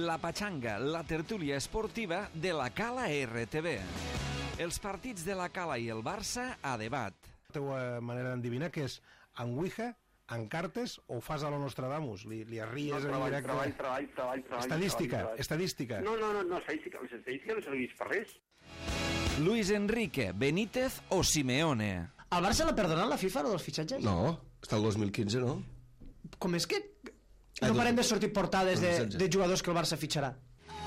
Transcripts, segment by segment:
La Pachanga, la tertúlia esportiva de la Cala RTV. Els partits de la Cala i el Barça a debat. La teva manera d'endevinar que és en Ouija, en cartes o fas a lo Nostradamus? Li arries en directe? Treball. Estadística. No, estadística. Les estadístiques no serveix per res. Luis Enrique, Benítez o Simeone? El Barça l'ha perdonat la FIFA, o dels fitxatges? No, està el 2015, no? Com és que no parem de sortir portades de jugadors que el Barça fitxarà?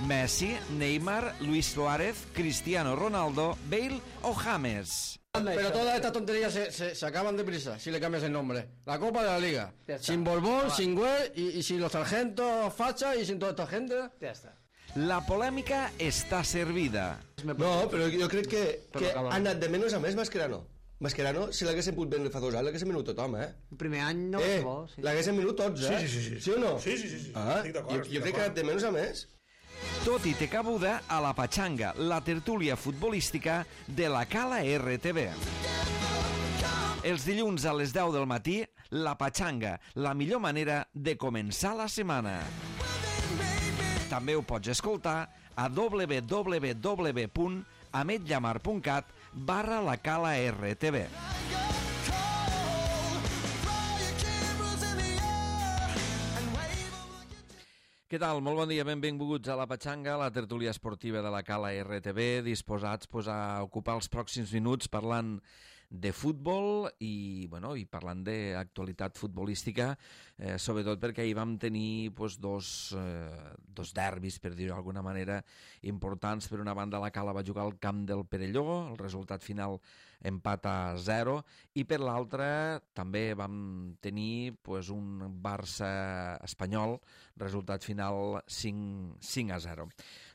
Messi, Neymar, Luis Suárez, Cristiano Ronaldo, Bale o James? Pero todas estas tonterías se acaban deprisa si le cambias el nombre. La Copa de la Liga. Sin Borbón, sin Güell y sin los sargentos facha y sin toda esta gente. Ja està. La polèmica està servida. No, però jo crec que ha anat de menys a més Mascherano. Mascherano, si l'haguessin pogut vendre fa 2 anys, l'haguessin venut tothom, El primer any no és bo. Sí. L'haguessin venut tots, Sí. Sí o no? Sí. Estic d'acord. Jo crec que ha anat de menys a més. Tot i té cabuda a la Pachanga, la tertúlia futbolística de la Cala RTV. Els dilluns a les 10 del matí, la Pachanga, la millor manera de començar la setmana. També ho pots escoltar a www.ametllamar.cat/la Cala RTV. Què tal? Molt bon dia, benvinguts a la Pachanga, la tertúlia esportiva de la Cala RTV, disposats a ocupar els pròxims minuts parlant de futbol i parlant d'actualitat futbolística, sobretot perquè ahir vam tenir dos derbis, per dir-ho d'alguna manera, importants. Per una banda, la Cala va jugar al camp del Perelló, el resultat final empat a 0, i per l'altra també vam tenir un Barça espanyol, resultat final 5-0.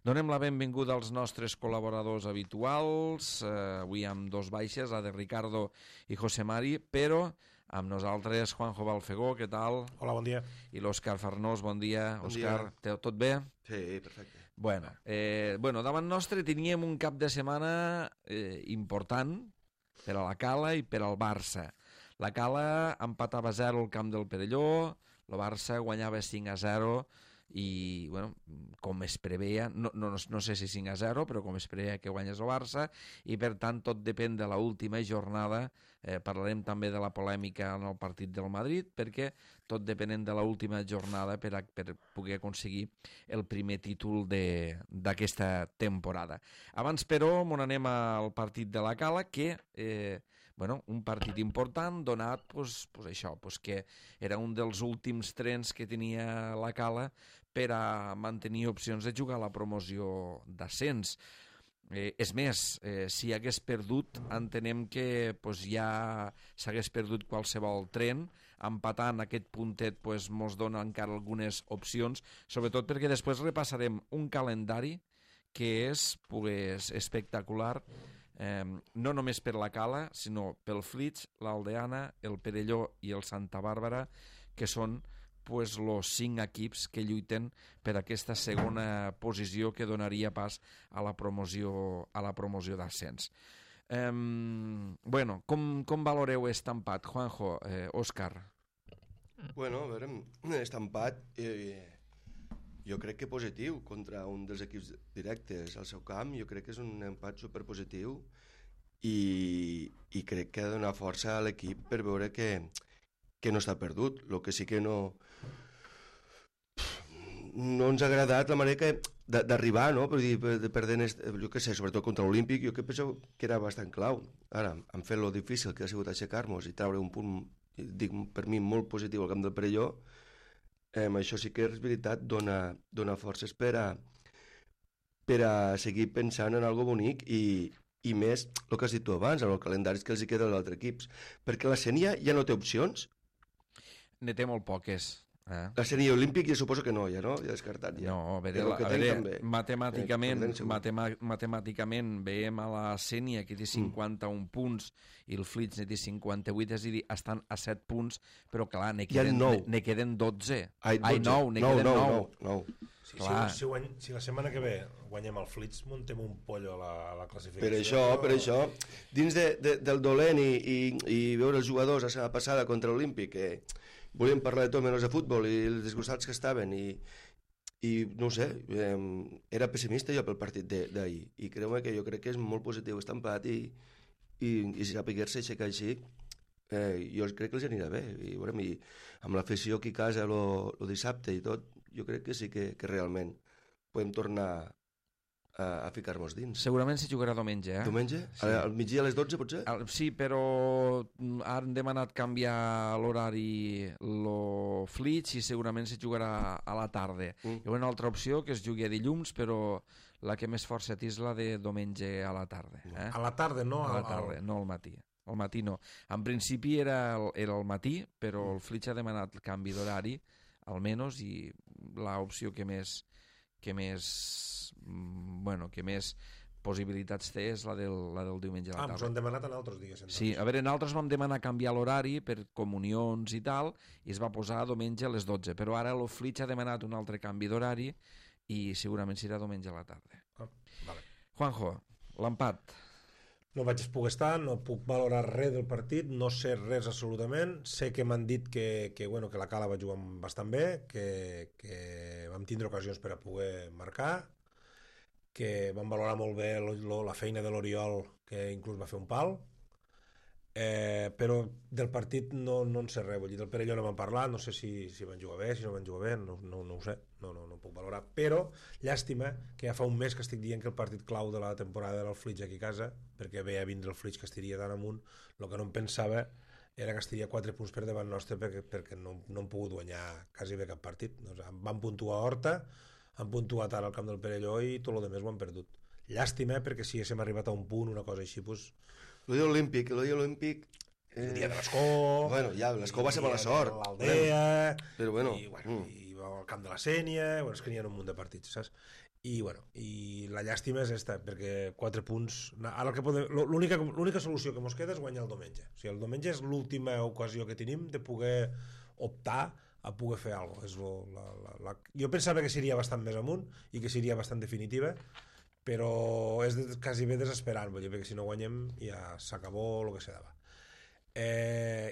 Donem la benvinguda als nostres col·laboradors habituals, avui amb 2 baixes, la de Ricardo i José Mari, però amb nosaltres Juanjo Balfegó, què tal? Hola, bon dia. I l'Òscar Farnós, bon dia. Bon Òscar, dia. tot bé? Sí, perfecte. Bueno, davant nostre teníem un cap de setmana important per a la Cala i per al Barça. La Cala empatava 0 al camp del Perelló, el Barça guanyava 5-0 i, com es preveia, no sé si 5-0, però com es preveia que guanyés el Barça, i per tant tot depèn de l'última jornada. Parlarem també de la polèmica en el partit del Madrid, perquè tot depenent de l'última jornada per poder aconseguir el primer títol d'aquesta temporada. Abans, però, anem al partit de la Cala, que un partit important donat que era un dels últims trens que tenia la Cala per a mantenir opcions de jugar a la promoció d'ascens. És més, si hagués perdut, entenem que ja s'hagués perdut qualsevol tren. Empatant aquest puntet mos dona encara algunes opcions, sobretot perquè després repassarem un calendari que és espectacular, no només per la Cala, sinó pel Flix, l'Aldeana, el Perelló i el Santa Bàrbara, que són els 5 equips que lluiten per aquesta segona posició que donaria pas a la promoció d'ascens. Com valoreu aquest empat, Juanjo, Òscar? A veure, aquest empat jo crec que positiu contra un dels equips directes al seu camp. Jo crec que és un empat superpositiu i crec que ha de donar força a l'equip per veure que no està perdut. El que sí que no ens ha agradat la manera d'arribar, no? Perdent, jo què sé, sobretot contra l'Olímpic, jo que penso que era bastant clau. Ara, han fet lo difícil que ha sigut aixecar-nos i treure un punt, dic, per mi molt positiu al camp del Perelló. Això sí que és veritat, dona forces per a seguir pensant en algo bonic i més el que has dit tu abans, en els calendaris que els hi queda als altres equips, perquè la Sènia ja no té opcions. Ne té molt poques. La Sènia Olímpic ja suposo que no, ja descartat. Ja. No, a veure, matemàticament veiem a la Sènia que té 51 punts i el Flix ne té 58, és a dir, estan a 7 punts, però clar, ne queden 12. Ai, 9, ne queden 9. Si la setmana que ve guanyem el Flix, muntem un pollo a la Per classificació. això, dins del dolent i veure els jugadors la setmana passada contra l'Olímpic, que volíem parlar de tot menys de futbol i els disgustats que estaven, i i no ho sé, era pessimista jo pel partit d'ahir, i creu-me que jo crec que és molt positiu aquest empat i si sapiguer-se aixecar així, jo crec que els anirà bé, i amb l'afició aquí a casa el dissabte i tot, jo crec que sí que realment podem tornar a ficar-nos dins. Segurament se jugarà diumenge, eh? Diumenge? Sí. Al migdia a les 12, potser? Sí, però han demanat canviar l'horari lo Flitx i segurament se jugarà a la tarda. Hi ha una altra opció que es jugui a dilluns, però la que més força té és la de diumenge a la tarda. A la tarda, no? A la tarda, no al matí. Al matí no. En principi era el matí, però el Flitx ha demanat el canvi d'horari, almenys, i l'opció que més possibilitats té és la del diumenge a la tarda. Ens ho han demanat en altres dies. Sí, a veure, nosaltres vam demanar canviar l'horari per comunions i tal, i es va posar diumenge a les 12, però ara el Flitx ha demanat un altre canvi d'horari i segurament serà diumenge a la tarda. Vale. Juanjo, l'empat. No vaig poder estar, no puc valorar res del partit, no sé res absolutament. Sé que m'han dit que la Cala va jugar bastant bé, que vam tindre ocasions per a poder marcar, que vam valorar molt bé la feina de l'Oriol, que inclús va fer un pal, però del partit no en sé res. Vull dir, del Perelló no vam parlar, no sé si van jugar bé, si no van jugar bé, no ho sé, no puc valorar, però llàstima que ja fa un mes que estic dient que el partit clau de la temporada era el Flitx aquí a casa, perquè veia vindre el Flitx que estiria tan amunt. El que no em pensava era que estiria 4 punts per davant nostre perquè no hem pogut guanyar quasi bé cap partit. Van puntuar a Horta, han puntuat ara al camp del Perelló i tot el demés ho han perdut. Llàstima, perquè si haguéssim arribat a un punt, una cosa així, doncs... Lo dia olímpic... El dia de l'Escó... Bueno, ja, l'Escó va ser mala sort. L'Aldea... Però bueno... I al camp de la Sénia... És que n'hi ha un munt de partits, saps? I la llàstima és esta, perquè 4 punts... Ara l'única solució que mos queda és guanyar el diumenge. O sigui, el diumenge és l'última ocasió que tenim de poder optar a poder fer alguna cosa. Jo pensava que seria bastant més amunt i que seria bastant definitiva, però és quasi bé desesperant, perquè si no guanyem ja s'acabó el que se dava.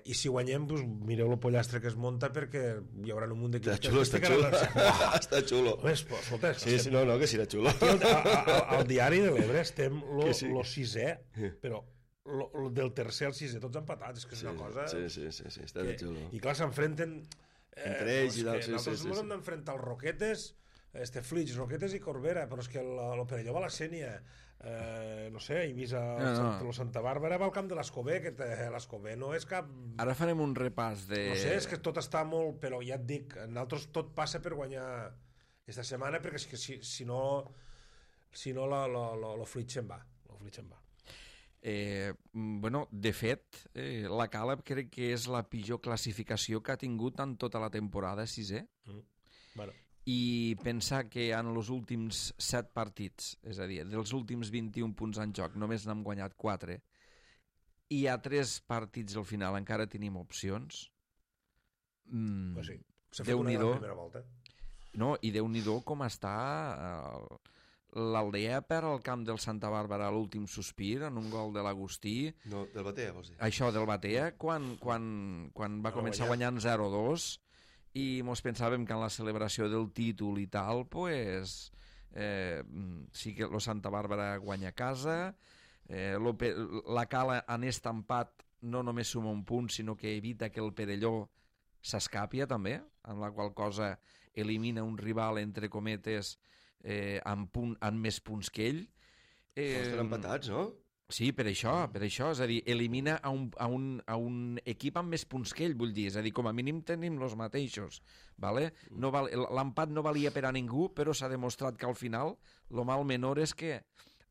I si guanyem, doncs, mireu el pollastre que es munta, perquè hi haurà un munt d'equips. Està xulo. Està xulo. Escolta, sí, que serà xulo. Al diari de l'Ebre estem lo sisè, però del tercer al sisè tots empatats, és que és una cosa... Sí, està de xulo. I clar, s'enfrenten... Entre ells i tal, nosaltres ens hem d'enfrentar els Roquetes, Flitx, Roquetes i Corbera, però és que el Perelló va a la Sénia, no sé, Eivissa, Santa Bàrbara va al camp de l'Escobé, que l'Escobé no és cap... Ara farem un repàs de... No sé, és que tot està molt... Però ja et dic, nosaltres tot passa per guanyar aquesta setmana, perquè és que si no el Flitx se'n va. De fet, la Cala crec que és la pitjor classificació que ha tingut en tota la temporada, sisè. I pensar que en els últims 7 partits, és a dir, dels últims 21 punts en joc, només n'hem guanyat 4, i a 3 partits al final encara tenim opcions. Déu-n'hi-do. No, i Déu-n'hi-do com està... L'Aldea perd al camp del Santa Bàrbara a l'últim sospir en un gol de l'Agustí. No, del Batea, vols dir? Això, del Batea, quan va començar guanyant 0-2 i mos pensàvem que en la celebració del títol i tal, pues, sí que el Santa Bàrbara guanya a casa, la Cala en aquest empat no només suma un punt, sinó que evita que el Perelló s'escapia també, en la qual cosa elimina un rival, entre cometes, amb més punts que ell. Estan empatats, no? Sí, per això, és a dir, elimina a un equip amb més punts que ell, vull dir, és a dir, com a mínim tenim els mateixos, vale? L'empat no valia per a ningú, però s'ha demostrat que al final lo mal menor és que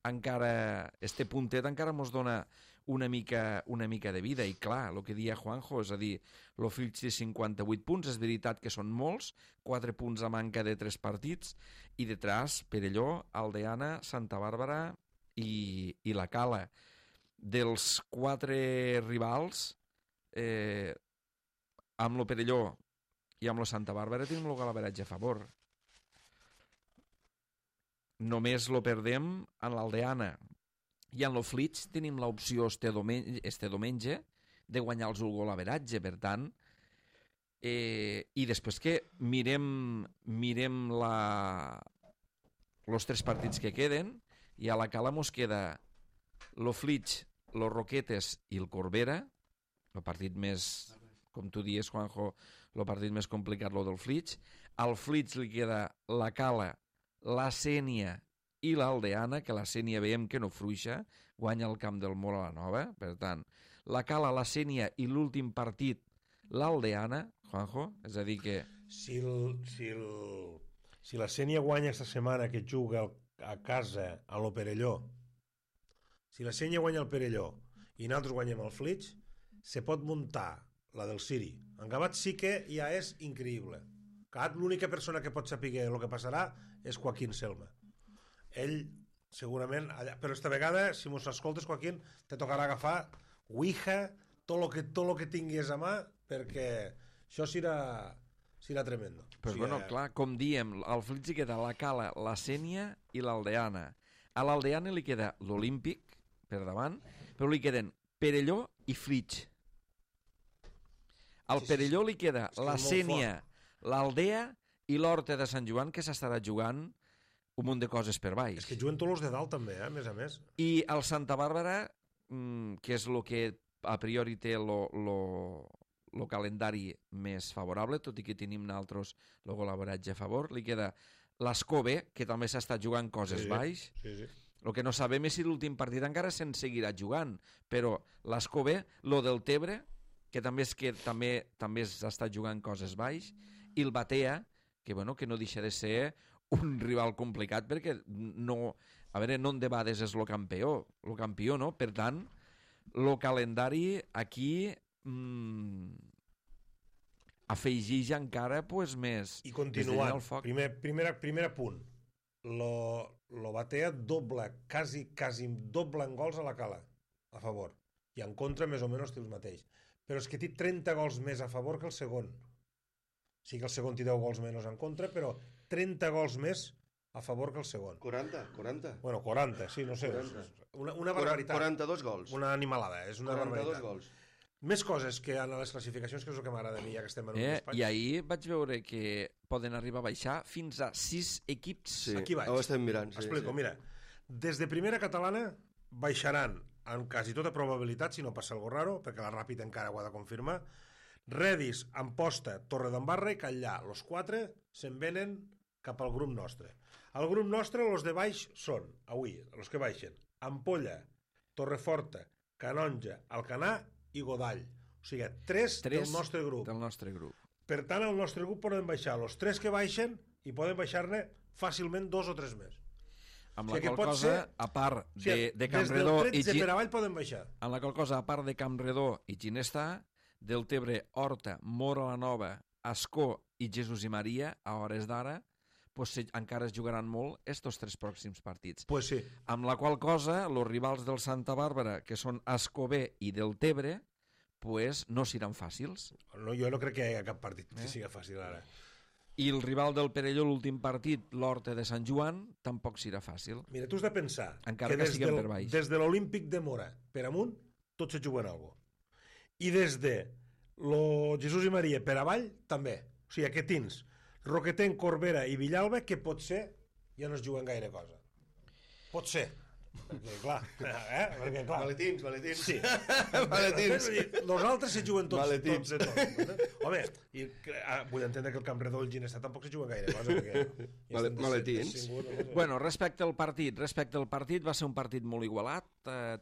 encara, este puntet encara mos dona una mica de vida, i clar, el que dia Juanjo, és a dir, el Flitx té 58 punts, és veritat que són molts, 4 punts a manca de 3 partits, i detrás Perelló, Aldeana, Santa Bàrbara i la Cala. Dels 4 rivals, amb el Perelló i amb la Santa Bàrbara tenim el golaveratge a favor. Només lo perdem en l'Aldeana. I en el Flitx tenim l'opció este diumenge de guanyar-los el golaveratge. Per tant, I després que mirem los 3 partits que queden, i a la Cala mos queda lo Flix, los Roquetes i el Corbera, el partit més, com tu dies, Juanjo, el partit més complicat, lo del Flix. Al Flix li queda la Cala, la Sénia i l'Aldeana, que la Sénia veiem que no fruixa, guanya el camp del Mora la Nova, per tant, la Cala, la Sénia i l'últim partit, l'Aldeana, Juanjo, és a dir que... Si la Sénia guanya esta setmana que juga a casa a lo Perelló, si la Sénia guanya el Perelló i nosaltres guanyem el Flix, se pot muntar la del Siri. En Gavat sí que ja és increïble. L'única persona que pot saber el que passarà és Joaquín Selma. Ell, segurament, però esta vegada, si mos escoltes, Joaquín, te tocarà agafar Ouija, tot lo que tinguis a mà, perquè això serà tremendo. Però bueno, clar, com diem, al Flix hi queda la Cala, la Sénia i l'Aldeana. A l'Aldeana li queda l'Olímpic, per davant, però li queden Perelló i Flix. Al Perelló li queda la Sénia, l'Aldea i l'Horta de Sant Joan, que s'estarà jugant un munt de coses per baix. És que juguen tots els de dalt també, a més a més. I el Santa Bàrbara, que és el que a priori té el calendari més favorable, tot i que tenim nosaltres el col·laboratge a favor, li queda l'Escove, que també s'està jugant coses baix. Sí. El que no sabem és si l'últim partit encara se'n seguirà jugant, però l'Escove, lo del Tebre, que també s'està jugant coses baix, i el Batea, que no deixa de ser un rival complicat, perquè no en debades és el campió, no? Per tant, el calendari aquí afegeix encara més... I continuant, primer punt, lo Batea quasi doble en gols a la Cala, a favor, i en contra més o menys té els mateix, però és que té 30 gols més a favor que el segon. Sí que el segon té 10 gols menys en contra, però 30 gols més a favor que el segon. 40. Bueno, 40, sí, no sé. 40. Una barbaritat. 42 gols. Una animalada, és una 42 barbaritat. gols. Més coses que en les classificacions, que és el que m'agrada a mi, ja que estem en un despatx. I ahir vaig veure que poden arribar a baixar fins a 6 equips. Sí, aquí vaig. Ho estem mirant. Explico, mira. Des de primera catalana baixaran amb quasi tota probabilitat, si no passa algo raro, perquè la Ràpid encara ho ha de confirmar. Redis, Amposta, Torredembarra i Catllà. Los 4 se'n venen cap al grup nostre. Al grup nostre, los de baix són, avui, els que baixen, Ampolla, Torreforta, Canonja, Alcanar i Godall. O sigui, 3 del nostre grup. Per tant, al nostre grup poden baixar els 3 que baixen i poden baixar-ne fàcilment 2 o 3 més. Amb la qual cosa, a part de Campredó i Des del 13 per avall poden baixar. Amb la qual cosa, a part de Campredó i Ginestà, del Tebre, Horta, Mora la Nova, Ascó i Jesús i Maria, a hores d'ara, encara es jugaran molt estos 3 pròxims partits. Pues sí. Amb la qual cosa, els rivals del Santa Bàrbara, que són Ascobé i del Tebre, pues no seran fàcils. No, jo no crec que hi hagi cap partit que siga fàcil ara. I el rival del Perelló, l'últim partit, l'Horta de Sant Joan, tampoc serà fàcil. Mira, tu has de pensar encara que siguem per baix. Des de l'Olímpic de Mora per amunt, tots se juguen alguna cosa. I des de lo Jesús i Maria per avall, també. O sigui, que tens Roquetenc, Corbera i Villalba, que potser ja no es juguen gaire cosa. Pot ser. Perquè, clar, perquè, clar... Maletins. Sí. Maletins. Els altres se juguen tots. Home, vull entendre que el Campredó i el Ginestà tampoc se juguen gaire cosa. Perquè Maletins. Bueno, respecte al partit, va ser un partit molt igualat.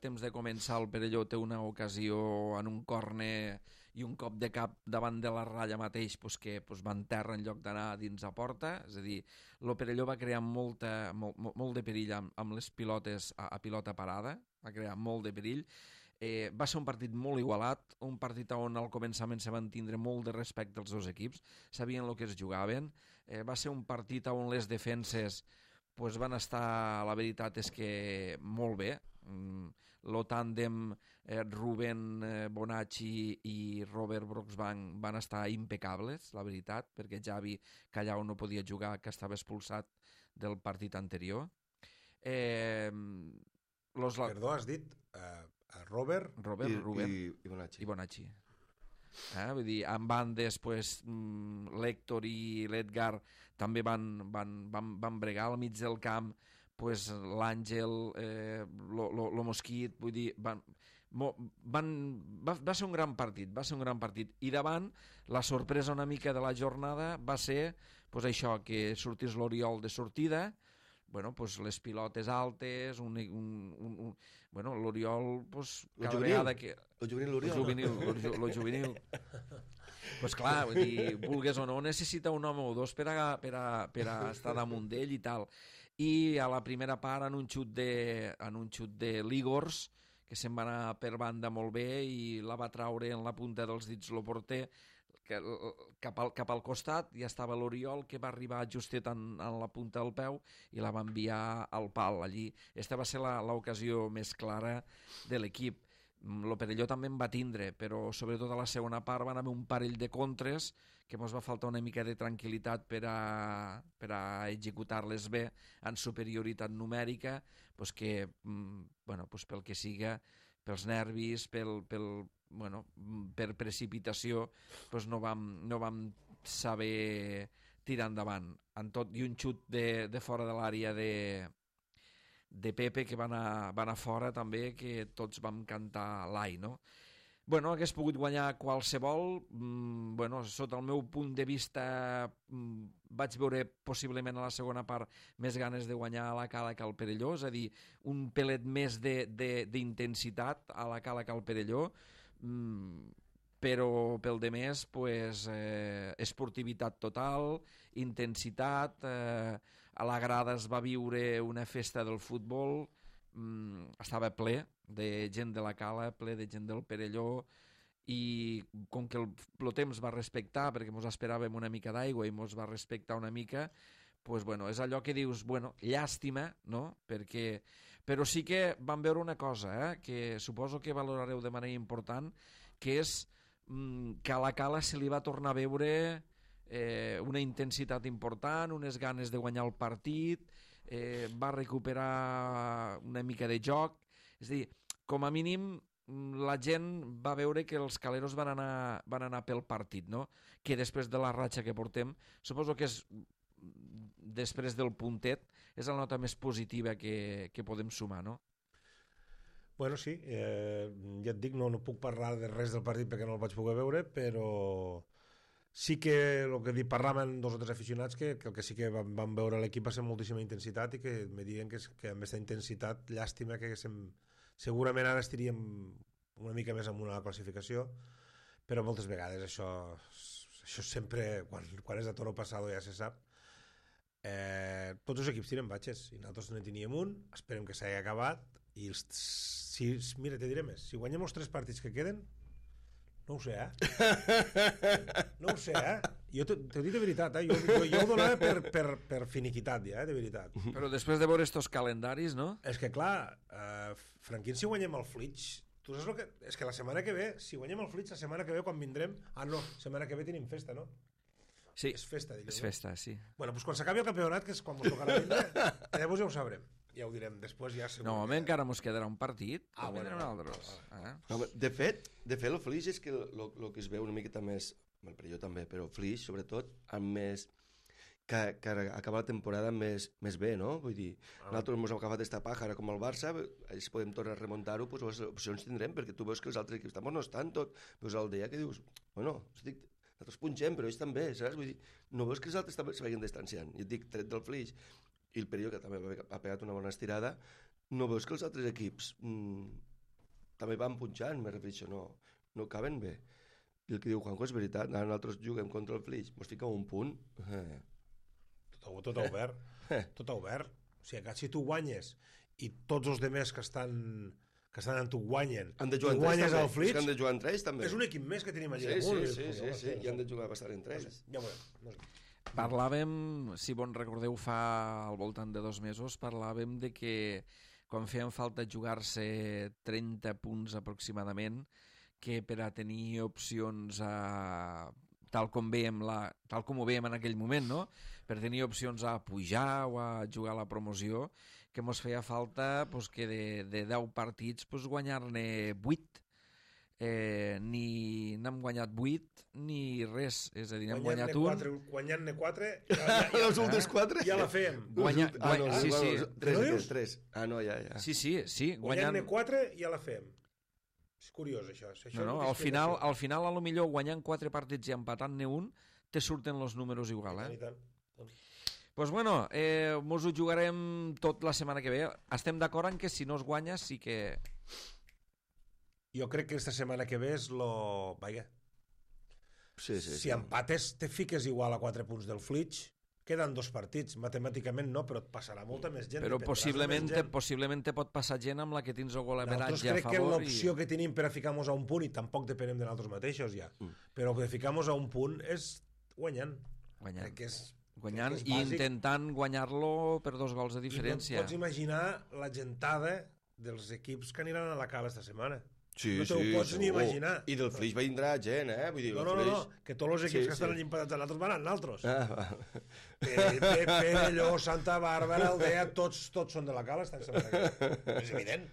Temps de començar, el Perelló té una ocasió en un córner i un cop de cap davant de la ratlla mateix que va en terra en lloc d'anar dins a porta. És a dir, el Perelló va crear molt de perill amb les pilotes a pilota parada, va crear molt de perill. Va ser un partit molt igualat, un partit on al començament se van tindre molt de respecte als dos equips, sabien el que es jugaven. Va ser un partit on les defenses van estar, la veritat és que molt bé. El tàndem Rubén Bonacci i Robert Broxbank van estar impecables, la veritat, perquè Javi Callau no podia jugar, que estava expulsat del partit anterior. Perdó, has dit Robert Rubén i Bonacci. I Bonacci. Vull dir, en bandes, pues, l'Héctor i l'Edgar també van bregar al mig del camp, pues, l'Àngel, lo Mosquit, vull dir, va ser un gran partit, i davant la sorpresa una mica de la jornada va ser pues, això, que sortís l'Oriol de sortida, bueno, pues, les pilotes altes, bueno, l'Oriol, pues, cada vegada que... Lo juvenil. Lo juvenil. Pues clar, vull dir, vulgues o no, necessita un home o dos per a estar damunt d'ell i tal. I a la primera part, en un xut de Ligors, que se'n va anar per banda molt bé i la va traure en la punta dels dits el porter, cap al costat, ja estava l'Oriol, que va arribar justet en la punta del peu i la va enviar al pal allí. Esta va ser l'ocasió més clara de l'equip. El Perelló també en va tindre, però sobretot a la segona part van haver un parell de contres que ens va faltar una mica de tranquil·litat per a executar-les bé en superioritat numèrica, pues que, bueno, pues pel que siga, pels nervis, per precipitació, pues no vam saber tirar endavant. En tot, i un xut de fora de l'àrea de Pepe, que va anar fora també, que tots vam cantar l'ai, no? Bueno, hagués pogut guanyar qualsevol. Bueno, sota el meu punt de vista vaig veure possiblement a la segona part més ganes de guanyar a la Cala que al Perelló, és a dir, un pelet més d'intensitat a la Cala que al Perelló, però pel de més, pues, esportivitat total, intensitat, a la grada es va viure una festa del futbol, estava ple de gent de la Cala, ple de gent del Perelló, i com que el temps va respectar, perquè ens esperàvem una mica d'aigua i ens va respectar una mica, pues, bueno, és allò que dius, bueno, llàstima, no? Però sí que vam veure una cosa, que suposo que valorareu de manera important, que és que a la Cala se li va tornar a veure una intensitat important, unes ganes de guanyar el partit, va recuperar una mica de joc, és a dir, com a mínim la gent va veure que els caleros van anar pel partit, no? Que després de la ratxa que portem, suposo que és després del puntet, és la nota més positiva que podem sumar, no? Bueno, sí, ja et dic, no puc parlar de res del partit perquè no el vaig poder veure, però sí que el que parlaven dos o tres aficionats que el que sí que van veure l'equip va ser moltíssima intensitat i que me diuen que amb aquesta intensitat, llàstima que segurament ara estiríem una mica més amunt a la classificació, però moltes vegades això sempre, quan és a toro passado ja se sap. Tots els equips tiren batxes i nosaltres ne teníem un, esperem que s'hagi acabat i mira, te diré més, si guanyem els 3 partits que queden, no ho sé, no ho sé, jo t'ho dic de veritat, jo ho donava per finiquitat ja, de veritat. Però després de veure estos calendaris, no? És que clar, Franquín, si guanyem el Flitx, tu saps el que... És que la setmana que ve, si guanyem el Flitx, la setmana que ve quan vindrem... no, setmana que ve tenim festa, no? Sí, és festa, diguem, és festa, sí. Bueno, doncs quan s'acabi el campionat, que és quan ens tocarà vindre, llavors ja ho sabrem. Ja ho direm, després ja segur. No, home, encara ens quedarà un partit. Bueno. No, de fet, el Flix és que el que es veu una miqueta més, el Perelló també, però Flix, sobretot, amb més... que acaba la temporada més bé, no? Vull dir, nosaltres ens hem agafat esta paja, ara com el Barça, si podem tornar a remuntar-ho, doncs les opcions tindrem, perquè tu veus que els altres equips no estan tot, veus l'Aldea que dius, bueno, nosaltres punxem, però ells també, saps? Vull dir, no veus que els altres també se vagin distanciant. Jo et dic, tret del Flix, i el Perelló, que també ha pegat una bona estirada, no veus que els altres equips també van punxant, me refereixo, no caben bé. I el que diu Juanjo és veritat, ara nosaltres juguem contra el Flix, ens fica un punt... Tot obert, tot obert. O sigui, si tu guanyes i tots els demés que estan amb tu guanyen, han de jugar i guanyes al Flix, han de jugar entre ells també. És un equip més que tenim allà. Sí, i han de jugar bastant entre ells. Ja ho veurem. Parlàvem, si bon recordeu, fa al voltant de 2 mesos, parlàvem de que quan feien falta jugar-se 30 punts aproximadament, que per a tenir opcions tal com ho veiem en aquell moment, no? Per tenir opcions a pujar o a jugar a la promoció, que ens feia falta que de 10 partits guanyar-ne 8. ni n'hem guanyat 8 ni res, és a dir, n'hem guanyat un. Guanyant-ne 4, els últims 4? Ja la fèiem. Tres. Ah, no, ja. Sí. Guanyant-ne 4 ja la fèiem. És curiós, això. No, al final, a lo millor, guanyant 4 partits i empatant-ne un, te surten els números igual, I tant. Pues bueno, mos ho jugarem tot la setmana que ve. Estem d'acord en que si no es guanya sí que... Jo crec que esta setmana que ve és lo... Vaja. Sí. Si empates, te fiques igual a 4 punts del Flitch. Queden 2 partits. Matemàticament no, però et passarà molta més gent. Però possiblement te pot passar gent amb la que tens el golaveratge a favor. Nosaltres crec que l'opció que tenim per a ficar-nos a un punt, i tampoc depenem de nosaltres mateixos ja, però que ficar-nos a un punt és guanyant. Crec que és... Guanyant i intentant guanyar-lo per 2 gols de diferència. I no et pots imaginar la gentada dels equips que aniran a la Cala esta setmana. Sí, no te ho pots ni imaginar. I del Flix vindrà gent, Vull dir, no, que tots els equips que estan allà empatats a nosaltres van a nosaltres. Perelló, Santa Bàrbara, Aldea, tots són de la Cala. És evident.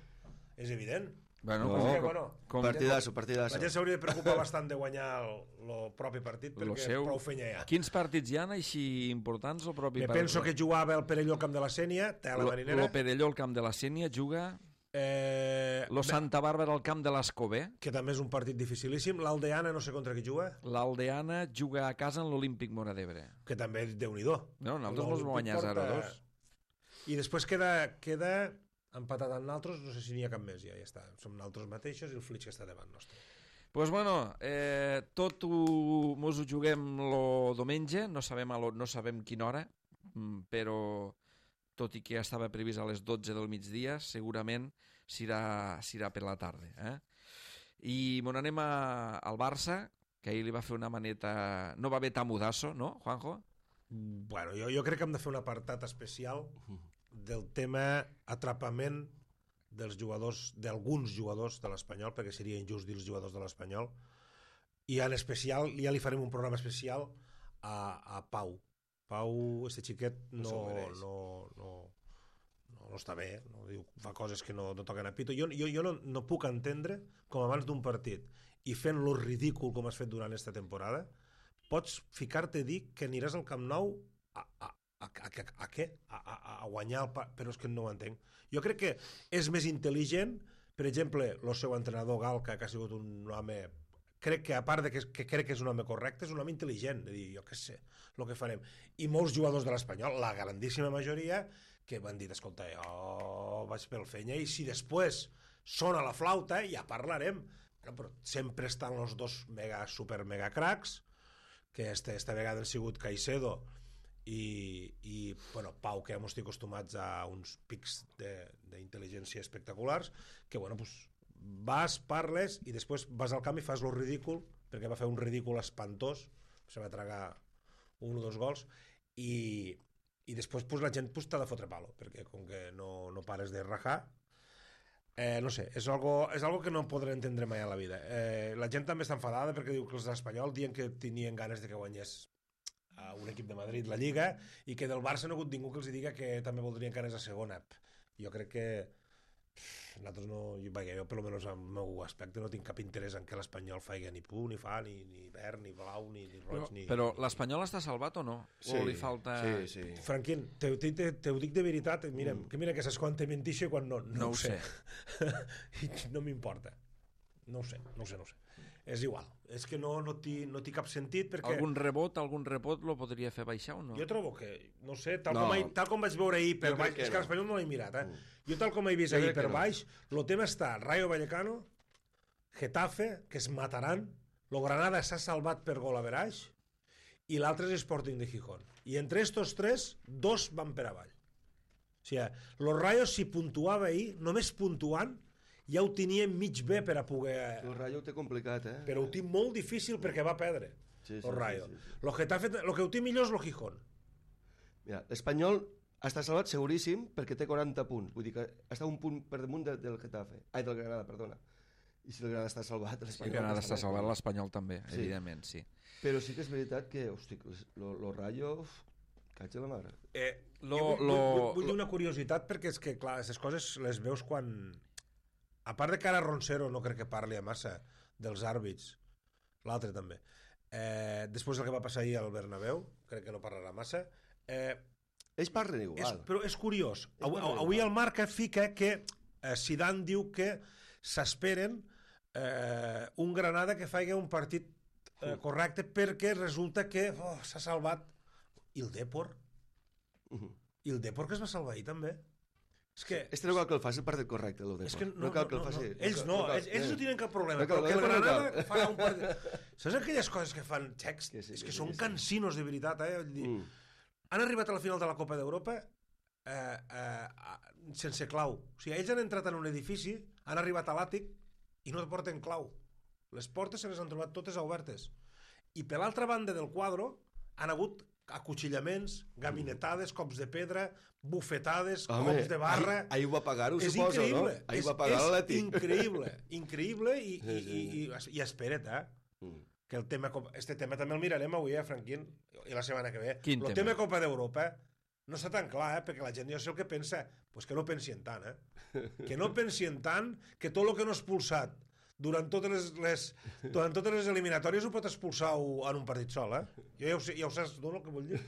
Partidasso. La gent s'hauria de preocupar bastant de guanyar el propi partit, perquè prou fenya hi ha. Quins partits hi ha així importants el propi partit? Penso que jugava el Perelló al camp de la Sénia, la Marinera. El Perelló al camp de la Sénia juga... Lo Santa Bàrbara al camp de l'Escobé, que també és un partit dificilíssim. L'Aldeana no sé contra qui juga. L'Aldeana juga a casa en l'Olímpic Móra d'Ebre, que també Déu-n'hi-do. No, nosaltres mos guanyar 0-2. I després queda empatat amb nosaltres, no sé si n'hi ha cap més, ja està. Som nosaltres mateixos i el Flitch que està davant nostre. Pues bueno, tot mos ho juguem lo diumenge, no sabem quina hora, però tot i que estava previst a les 12 del migdia, segurament s'irà per la tarda. I mon anem al Barça, que ahir li va fer una maneta... No va haver tamudasso, no, Juanjo? Bueno, jo crec que hem de fer un apartat especial del tema atrapament dels jugadors, d'alguns jugadors de l'Espanyol, perquè seria injust dir els jugadors de l'Espanyol, i en especial, ja li farem un programa especial a Pau. Pau, este xiquet, no està bé, no diu, fa coses que no toquen a pito. Jo no puc entendre com abans d'un partit i fent-lo ridícul com has fet durant aquesta temporada, pots ficar-te a dir que aniràs al Camp Nou a què? A guanyar el però és que no ho entenc. Jo crec que és més intel·ligent, per exemple, el seu entrenador Galca, que ha sigut un home... Crec que, a part de que crec que és un home correcte, és un home intel·ligent, de dir, jo què sé, el que farem. I molts jugadors de l'Espanyol, la grandíssima majoria, que van dir, escolta, jo vaig pel fenya, i si després sona la flauta, ja parlarem. Però sempre estan els dos super mega cracs, que esta vegada han sigut Caicedo i bueno, Pau, que ja estic acostumats a uns pics d'intel·ligència espectaculars, que bueno, pues, vas, parles i després vas al camp i fas lo ridícul, perquè va fer un ridícul espantós, se va tragar 1 o 2 gols, i després pues, la gent pues, t'ha de fotre palo, perquè com que no pares de rajar, no sé, és algo que no podré entendre mai a la vida. La gent també està enfadada perquè diu que els d'Espanyol diuen que tenien ganes de que guanyés a un equip de Madrid la Lliga i que del Barça no ha hagut ningú que els diga que també voldrien ganes a segona. Jo crec que nosaltres no, jo per almenys al meu aspecte no tinc cap interès en que l'Espanyol faci ni punt, ni fa, ni verd, ni blau, ni roig, ni... Però l'Espanyol està salvat o no? Sí, o li falta... Sí. Franquín, te ho dic de veritat, mira que saps quan te mentixo i quan no ho sé. No m'importa. No ho sé. És igual. És que no té cap sentit perquè... Algun rebot lo podria fer baixar o no? Jo trobo que, no sé, tal com vaig veure ahir per baix, és que l'Espanyol no l'he mirat, Jo tal com he vist ahir per baix, el tema està Rayo Vallecano, Getafe, que es mataran, lo Granada s'ha salvat per gol average, i l'altre és Sporting de Gijón. I entre estos 3, 2 van per avall. O sigui, los Rayos si puntuava ahir, només puntuant, ja ho tenia mig bé per a poder... El Rayo ho té complicat, Però ho té molt difícil perquè va perdre, el Rayo. Lo Getafe, lo que ho té millor és lo Gijón. Mira, l'Espanyol està salvat seguríssim perquè té 40 punts. Vull dir que està un punt per damunt del Getafe. Ai, del Granada, perdona. I si el Granada està salvat, l'Espanyol... El Granada està salvat, l'Espanyol també, evidentment, sí. Però sí que és veritat que, hosti, lo Rayo... Caig de la mare. Vull dir una curiositat perquè és que, clar, aquestes coses les veus quan... A part de que ara Roncero no crec que parli a massa dels àrbits, l'altre també. Després del que va passar ahir al Bernabéu, crec que no parlarà massa. Ells parlen igual. Però és curiós. Avui el Marca fica que Zidane diu que s'esperen un Granada que faci un partit correcte perquè resulta que s'ha salvat. I el Depor? I el Depor que es va salvar ahir també? És que no cal que el faci el partit correcte, el Depor. No cal que el faci. Ells no tenen cap problema, però que el Granada fa un partit... Saps aquelles coses que fan xecs? És que són cansinos de veritat, Han arribat a la final de la Copa d'Europa sense clau. O sigui, ells han entrat en un edifici, han arribat a l'àtic i no porten clau. Les portes se les han trobat totes obertes. I per l'altra banda del quadre han hagut acuchillaments, gabinetades, cops de pedra, bufetades, cops de barra... Ahir ho va pagar-ho, suposo, no? Ahir va pagar l'Atlètic. És increïble i espera't, que este tema també el mirarem avui, Franquín, i la setmana que ve. El tema Copa d'Europa no està tan clar, perquè la gent ja sé el que pensa, doncs que no pensien tant, que no pensien tant que tot el que no ha expulsat durant totes les eliminatòries ho pot expulsar en un partit sol, Jo ja ho saps, no, el que vull dir?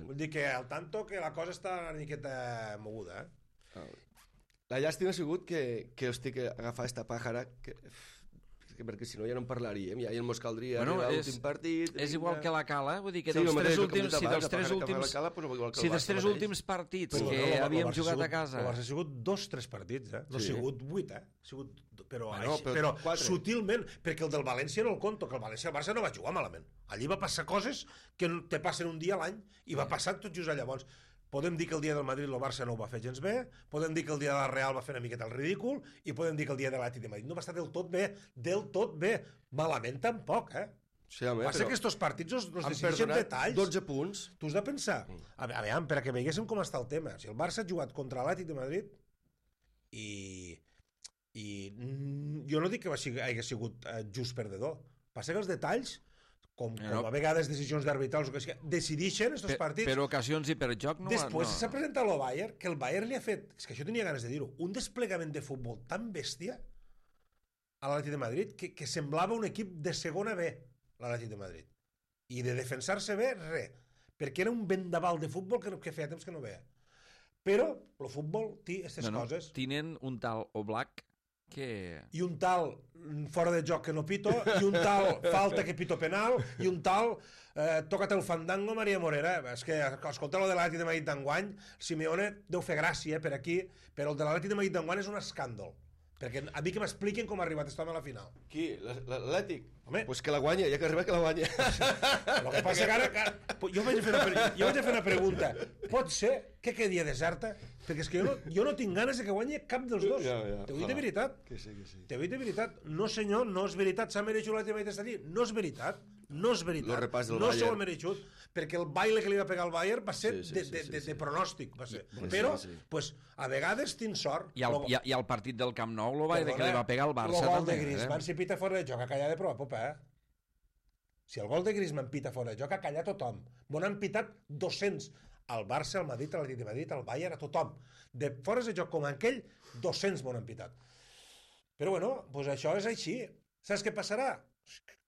Vull dir que al tanto que la cosa està una miqueta moguda, La llàstima ha sigut que estic agafant esta pàjara perquè si no ja no en parlaríem, ja ens caldria arribar a l'últim partit... És igual que la Cala, vull dir que dels tres últims partits que havíem jugat a casa... El Barça ha sigut 2-3 partits, no ha sigut 8, però sutilment, perquè el del València no el conto, que el Barça no va jugar malament. Allí va passar coses que te passen un dia a l'any i va passar tot just llavors. Podem dir que el dia del Madrid el Barça no ho va fer gens bé, podem dir que el dia de la Real va fer una miqueta el ridícul i podem dir que el dia de l'Atlètic de Madrid no va estar del tot bé. Malament tampoc, Sí, home, passa que aquests partits els decideixen detalls. 12 punts. Tu has de pensar, a veure, per a que veiéssim com està el tema, si el Barça ha jugat contra l'Atlètic de Madrid i jo no dic que hagi sigut just perdedor, passa que els detalls com a vegades decisions d'arbitrals decideixen aquests partits. Per ocasions i per joc no... Després s'ha presentat el Bayern, que el Bayern li ha fet, és que això tenia ganes de dir-ho, un desplegament de futbol tan bèstia a l'Atlètic de Madrid que semblava un equip de segona B, l'Atlètic de Madrid. I de defensar-se bé, res. Perquè era un vendaval de futbol que feia temps que no veia. Però el futbol té aquestes coses. Tenen un tal Oblak i un tal fora de joc que no pito, i un tal falta que pito penal, i un tal toca't el fandango Maria Morera. És que escolta el de l'Atlètic de Madrid d'enguany, Simeone deu fer gràcia per aquí, però el de l'Atlètic de Madrid d'enguany és un escàndol, perquè a mi que m'expliquin com ha arribat aquest home a la final. Qui? L'Atlètic? Doncs que la guanya, ja que arriba que la guanya. El que passa que ara jo vaig a fer una pregunta. Pot ser que quedi deserta? Perquè és que jo no tinc ganes de que guanyi cap dels dos. T'ho dic de veritat. T'ho dic de veritat. No, senyor, no és veritat. S'ha mereixut l'Atlètic de Madrid d'estar allí. No és veritat. No se ho ha mereixut. Perquè el baile que li va pegar al Bayern va ser de pronòstic. Però, a vegades tinc sort. I al partit del Camp Nou, el baile que li va pegar al Barça. El gol de Griezmann s'hi pita fora de joc, a callar de prova popa, Si el gol de Griezmann pita fora de joc, a callar tothom. M'ho han pitat 200. Al Barça, al Madrid, a l'Atlètic de Madrid, al Bayern, a tothom. De fora de joc com aquell, 200 m'ho han pitat. Però bueno, doncs això és així. Saps què passarà?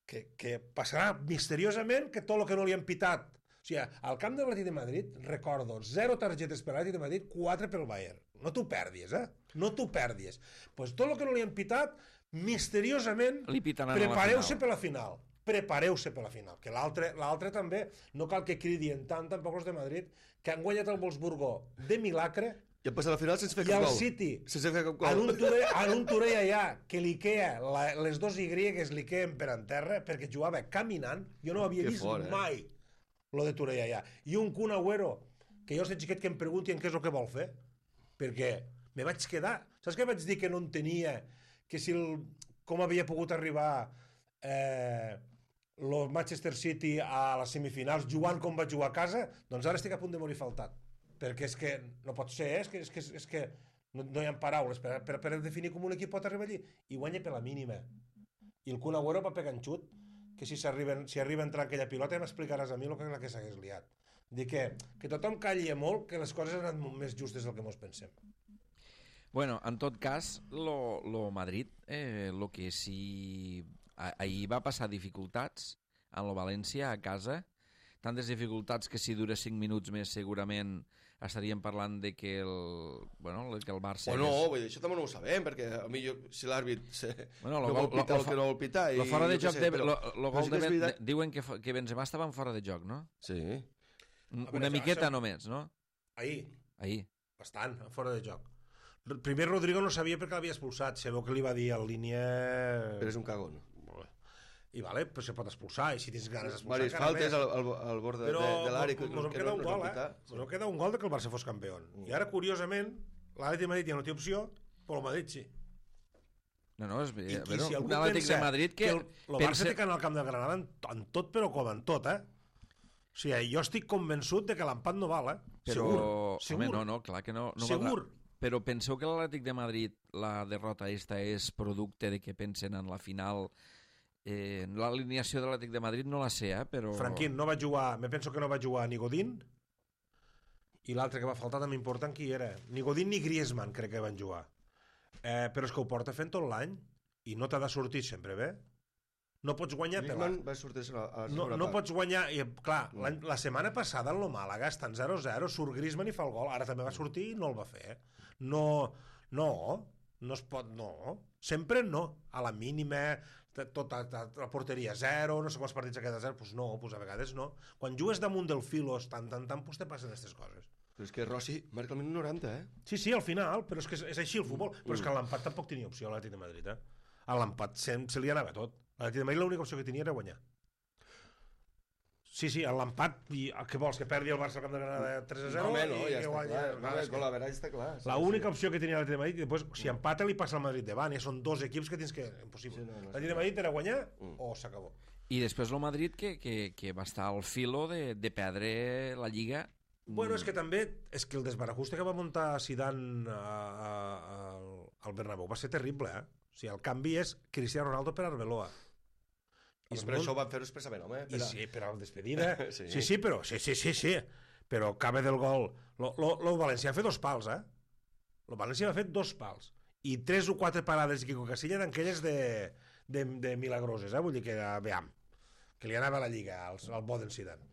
Que passarà misteriosament que tot el que no li han pitat. O sigui, al camp de l'Atlètic de Madrid, recordo, 0 targetes per l'Atlètic de Madrid, 4 pel Bayern. No t'ho perdis, No t'ho perdis. Doncs tot el que no li han pitat, misteriosament, prepareu-se per la final. Prepareu-se per la final, que l'altre també, no cal que cridien tant, tampoc els de Madrid, que han guanyat el Wolfsburgo de milagre, i han passat la final sense fer cap gol. I el City, en un Turell allà, que l'Ikea, les dos Y li queden per en terra, perquè jugava caminant, jo no havia vist mai lo de Turell allà. I un Kun Agüero, que jo sé xiquet que em preguntin què és el que vol fer, perquè me vaig quedar. Saps què vaig dir que no entenia? Que si com havia pogut arribar el Manchester City a les semifinals jugant com va jugar a casa, doncs ara estic a punt de morir faltat, perquè és que no pot ser, és que no hi ha paraules per definir com un equip pot arribar allí, i guanya per la mínima. I el Kun Agüero va pegar en xut, que si arriba a entrar aquella pilota ja m'explicaràs a mi el que s'hagués liat. Dic que tothom calli molt, que les coses han anat més justes del que mos pensem. Bueno, en tot cas, lo Madrid, lo que sí ahir va passar dificultats en el València a casa, tantes dificultats que si dura 5 minuts més segurament estaríem parlant de que el Barça... O no, això també no ho sabem, perquè a mi si l'àrbit no vol pitar el que no vol pitar... El fora de joc, diuen que Benzema estava en fora de joc, no? Sí. Una miqueta només, no? Ahir. Bastant, fora de joc. Primer Rodrigo no sabia perquè l'havia expulsat, sabeu que li va dir al línia... Però és un cagón. I vale, pues se pot expulsar, i si tens ganes d'expulsar Varis faltes al bord de l'àrea que no queda un gol, no queda un gol de que el Barça fos campió. I ara, curiosament, l'Atlètic de Madrid ja no té opció, però el Madrid sí. No, és un Atlètic de Madrid que... El Barça té que anar al camp de Granada en tot, però com en tot, O sigui, jo estic convençut de que l'empat no val, Segur. Home, no, clar que no segur. Però penseu que l'Atlètic de Madrid, la derrota esta és producte de que pensen en la final... l'alineació de l'Atlètic de Madrid no la sé, però... Franquín, no va jugar, me penso que no va jugar ni Godín, i l'altre que va faltar també important, qui era? Ni Godín ni Griezmann crec que van jugar. Però és que ho porta fent tot l'any, i no t'ha de sortir sempre bé. No pots guanyar... Griezmann va sortir a la segona part. No pots guanyar... Clar, la setmana passada en lo Màlaga estan 0-0, surt Griezmann i fa el gol, ara també va sortir i no el va fer. No es pot... No, sempre no. A la mínima... tota la porteria 0, no sé quants partits ha quedat 0, doncs no, a vegades no. Quan jugues damunt del filos tant, pues te passen aquestes coses. Però és que Rossi marca el minut 90, Sí, al final, però és que és així el futbol. Però és que a l'empat tampoc tenia opció a l'Atlètic de Madrid, A l'empat se li anava tot. A l'Atlètic de Madrid l'única opció que tenia era guanyar. Sí, a l'empat, què vols, que perdi el Barça al camp de Granada 3-0? No, ja està clar. Con la vera està clar. L'única opció que tenia l'Atlètic de Madrid, i després, si empata, li passa al Madrid davant, ja són dos equips que tens que... Impossible. L'Atlètic de Madrid era guanyar o s'acabó. I després el Madrid, que va estar al filo de perdre la Lliga. Bueno, és que també, és que el desbarajuste que va muntar Zidane al Bernabéu va ser terrible, O sigui, el canvi és Cristiano Ronaldo per Arbeloa. I per això ho van fer-ho expressament, home. Sí, per a la despedida. Sí, però... Sí. Però cabe del gol. Lo València va fer 2 pals, Lo València va fer 2 pals. I 3 o 4 parades de Quico Casilla d'aquelles de milagroses, Vull dir que, veam, que li anava a la Lliga, al bo d'en Zidane.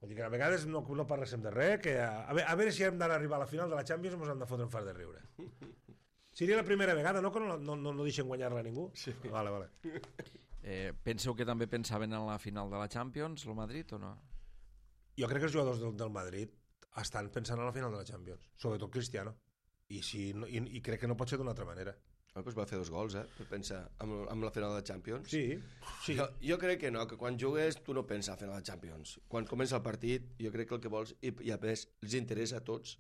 Vull dir que a vegades no parléssim de res, que a veure si hem d'arribar a la final de la Champions ens hem de fotre un fart de riure. Seria la primera vegada, no? Que no deixen guanyar-la a ningú? Sí. Vale. Penseu que també pensaven en la final de la Champions, el Madrid, o no? Jo crec que els jugadors del Madrid estan pensant en la final de la Champions, sobretot Cristiano, i crec que no pot ser d'una altra manera. Doncs va fer 2 gols, per pensar en la final de la Champions. Sí. Jo crec que no, que quan jugues tu no penses a la final de la Champions. Quan comença el partit, jo crec que el que vols, i a més, els interessa a tots,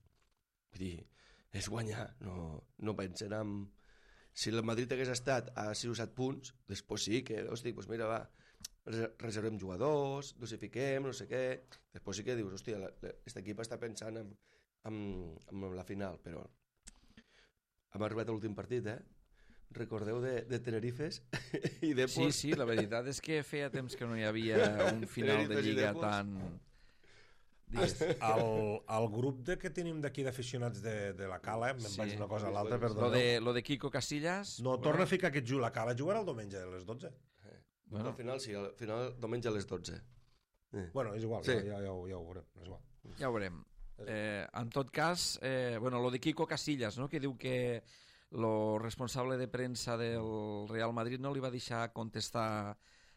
vull dir, és guanyar, no pensen en... Si el Madrid hagués estat a 6 o 7 punts, després sí que, doncs mira, va, reservem jugadors, dosifiquem, no sé què. Després sí que dius, hòstia, aquest equip està pensant en la final, però hem arribat a l'últim partit, Recordeu de Tenerifes i Depor? Sí, la veritat és que feia temps que no hi havia un final de Lliga tan... El grup que tenim d'aquí d'aficionats de la Cala, me'n vaig una cosa a l'altra, perdoneu. Lo de Quico Casillas... No, torna a ficar aquest la Cala jugarà el diumenge a les 12. Bueno. Al final sí, al final diumenge a les 12. Bueno, és igual, sí. ja ho veurem. És igual. Ja ho veurem. En tot cas, lo de Quico Casillas, no? Que diu que lo responsable de premsa del Real Madrid no li va deixar contestar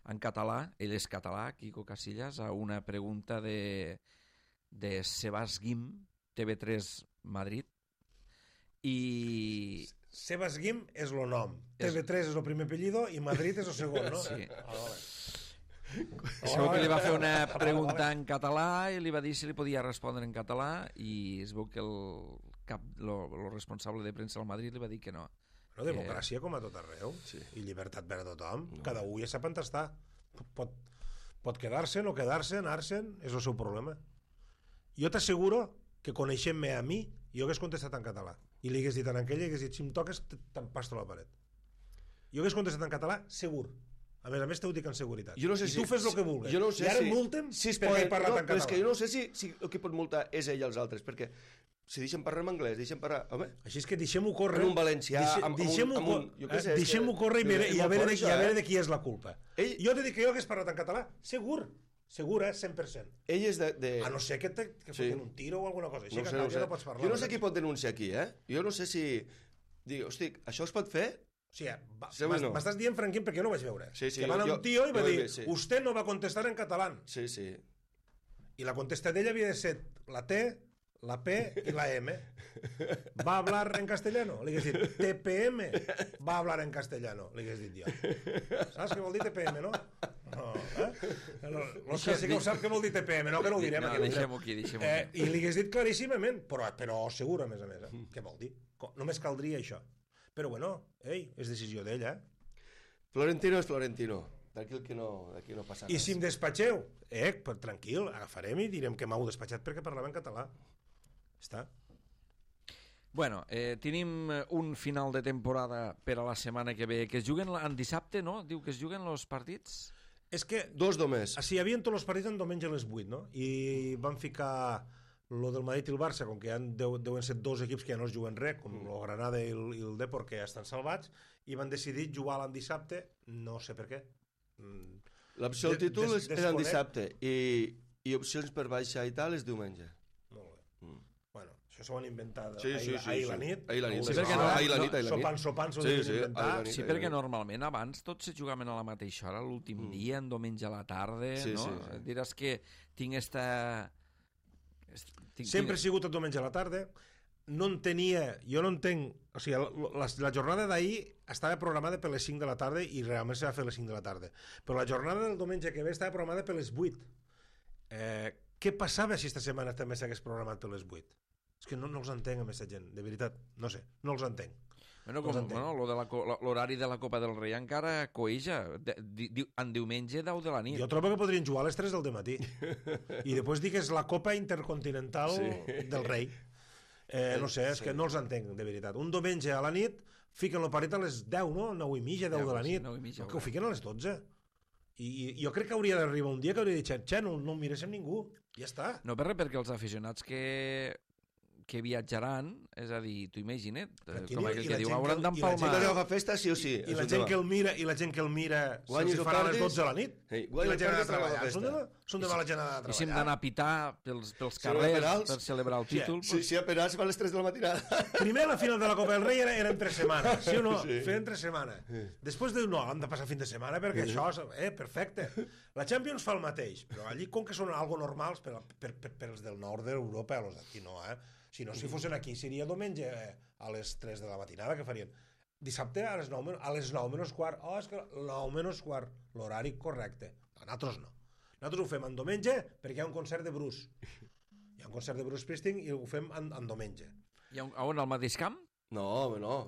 en català, ell és català, Quico Casillas, a una pregunta de Sebas Guim, TV3 Madrid, i... Sebas Guim és el nom, TV3 és el primer apellido i Madrid és el segon, no? Sí. Es veu que li va fer una pregunta en català i li va dir si li podia respondre en català i es veu que el responsable de premsa del Madrid li va dir que no. Bueno, democràcia com a tot arreu, i llibertat per a tothom. Cada un ja sap on està. Pot quedar-se, no quedar-se, anar-se'n, és el seu problema. Jo t'asseguro que coneixent-me a mi, jo hagués contestat en català. I li hagués dit en aquell, hagués dit, si em toques, t'empasto la paret. Jo hagués contestat en català, segur. A més t'ho dic en seguretat. Jo no sé I tu fes el que vulguis. Jo no sé I ara multa'm perquè he parlat en català. Però és que jo no sé si el que pot multar és ell i els altres, perquè Si deixem parlar en anglès, deixem parlar... Home, així és que deixem-ho córrer. en un valencià, deixem-ho córrer i a veure de qui és la culpa. Jo t'he dit que jo hagués parlat en català, segur, 100%. Ell és de... A no ser que fotin un tiro o alguna cosa així, que no pots parlar. Jo no sé qui pot denunciar aquí, Jo no sé si... Dic, hosti, això es pot fer? O sigui, m'estàs dient, Franquín, perquè jo no vaig veure. Que va anar un tio i va dir, usted no va contestar en català. Sí, sí. I la contesta d'ella havia de ser la T, la P y la M. ¿Va a hablar en castellano? Le hagués dit, TPM va a hablar en castellano. Le hagués dit jo. Saps què vol dir TPM, no? No, L'Òscar sí que ho sap què vol dir TPM, no que no ho direm. No, deixem-ho aquí. I li hagués dit claríssimament, però segur, a més a més. Què vol dir? Només caldria això. Però bueno, és decisió d'ella. Florentino és Florentino. D'aquí no passa res. I si em despatxeu, tranquil, agafarem i direm que m'heu despatxat perquè parlava en català. Està. Bueno, tenim un final de temporada per a la setmana que ve, que es juguen en dissabte, no? Diu que es juguen els partits? És que... 2 només. Sí, hi havia tots els partits en diumenge a les 8, no? I van ficar lo del Madrid i el Barça, com que deuen ser 2 equips que ja no es juguen res, com el Granada i el Depor, que ja estan salvats, i van decidir jugar l'en dissabte, no sé per què. L'opció del títol és en dissabte i opcions per baixar i tal és diumenge. Molt bé. Bueno, això s'ho han inventat ahir la nit. Ahir la nit. Sopant s'ho han inventat. Sí, perquè normalment abans tots se jugaven a la mateixa hora, l'últim dia, en diumenge a la tarda, no? Diràs que tinc esta... Sempre he sigut el diumenge a la tarda. Jo no entenc... O sigui, la jornada d'ahir estava programada per les 5 de la tarda i realment se va fer a les 5 de la tarda. Però la jornada del diumenge que ve estava programada per les 8. Què passava si esta setmana també s'hagués programat per les 8? És que no els entenc, a aquesta gent, de veritat. No sé, no els entenc. L'horari de la Copa del Rei encara coeja. En diumenge 10 de la nit. Jo trobo que podrien jugar a les 3 del matí. I després dir que és la Copa Intercontinental del Rei. No sé, és que no els entenc, de veritat. Un diumenge a la nit fiquen el partit a les 10, no? 9 i mitja, 10 de la nit. Que ho fiquen a les 12. I jo crec que hauria d'arribar un dia que hauria de dir, no miréssim ningú, ja està. No per res, perquè els aficionats que viatjaran, és a dir, t'ho imagina't, com aquell que diu, hauran d'empalmar... I la fa festa sí o sí. I la gent que el mira, se'ls farà a les 12 de la nit, i la gent ha de treballar. Són de mala gent a treballar. I si hem d'anar a pitar pels carrers per celebrar el títol... Si a penals va a les 3 de la matinada. Primer la final de la Copa del Rei era entre setmana, sí o no? Feien entre setmana. Després diu, no, hem de passar fin de setmana perquè això, perfecte. La Champions fa el mateix, però allí com que són algo normals per als del nord d'Europa, els d'aquí no, Si no, si fossin aquí, seria diumenge a les 3 de la matinada, que farien? Dissabte a les 9 menys quart. Oh, és que 9 menys quart, l'horari correcte. Nosaltres no. Nosaltres ho fem en diumenge perquè hi ha un concert de Bruce. Hi ha un concert de Bruce Springsteen i ho fem en diumenge. On, al mateix camp? No, home, no.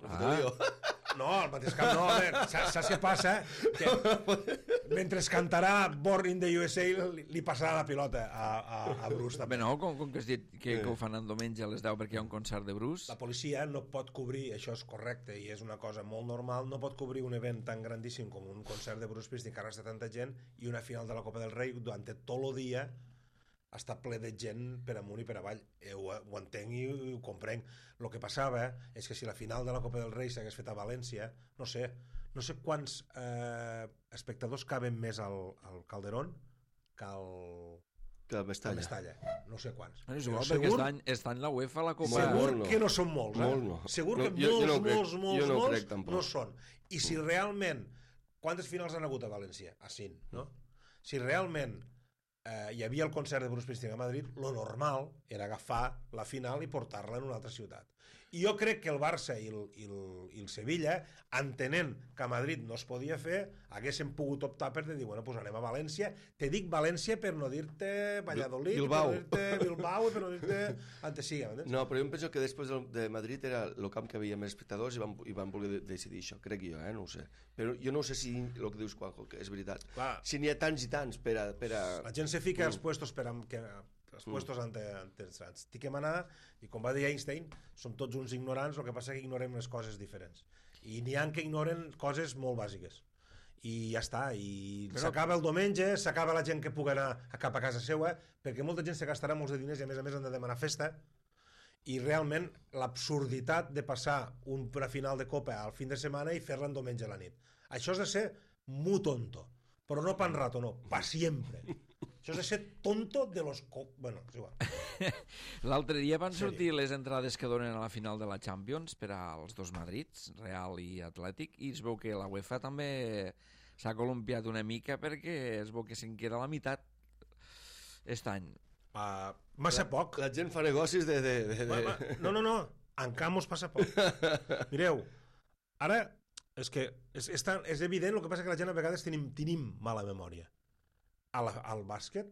No, al mateix camp no, saps què passa? Que mentre cantarà Born in the USA li passarà la pilota a Bruce també. Bé, no, com que has dit que ho fan en diumenge a les 10 perquè hi ha un concert de Bruce. La policia no pot cobrir, això és correcte i és una cosa molt normal, no pot cobrir un event tan grandíssim com un concert de Bruce Springsteen que arrastra tanta gent i una final de la Copa del Rei durant tot el dia està ple de gent per amunt i per avall. Ho entenc i ho comprenc. El que passava és que si la final de la Copa del Rei s'hagués fet a València, no sé quants espectadors caben més al Calderón que al Mestalla. No sé quants. Segur perquè està en la UEFA la Copa. Segur que no són molts. Segur que molts no són. I si realment... Quantes finals han hagut a València? A 5, no? Si realment hi havia el concert de Bruce Springsteen a Madrid, lo normal era agafar la final i portar-la en una altra ciutat. I jo crec que el Barça i el Sevilla, entenent que a Madrid no es podia fer, haguessin pogut optar per dir, bueno, doncs anem a València. Te dic València per no dir-te Valladolid, Bilbao. per no dir-te Bilbao, per no dir-te Antesiga. No, però jo em penso que després de Madrid era el camp que havia més espectadors i van voler decidir això, crec jo, no ho sé. Però jo no sé si el que dius, Juanjo, que és veritat. Clar. Si n'hi ha tants i tants per a... La gent se fica als puestos els puestos interessants. Tinc que manar, i com va dir Einstein, som tots uns ignorants, el que passa que ignorem les coses diferents. I n'hi ha que ignoren coses molt bàsiques. I ja està, i s'acaba el diumenge, s'acaba la gent que pugui anar cap a casa seva, perquè molta gent se gastarà molts de diners i a més han de demanar festa, i realment l'absurditat de passar una final de Copa al fin de setmana i fer-la en diumenge a la nit. Això és de ser muy tonto, però no pan rato, no, pa siempre. Això és de ser tonto de los... Bueno, és igual. L'altre dia van sortir les entrades que donen a la final de la Champions per als dos Madrids, Real i Atlètic, i es veu que la UEFA també s'ha columpiat una mica perquè es veu que se'n queda la meitat aquest any. Massa poc. La gent fa negocis de... No, en Camus passa poc. Mireu, ara és que és evident, el que passa que la gent a vegades tenim mala memòria. Al bàsquet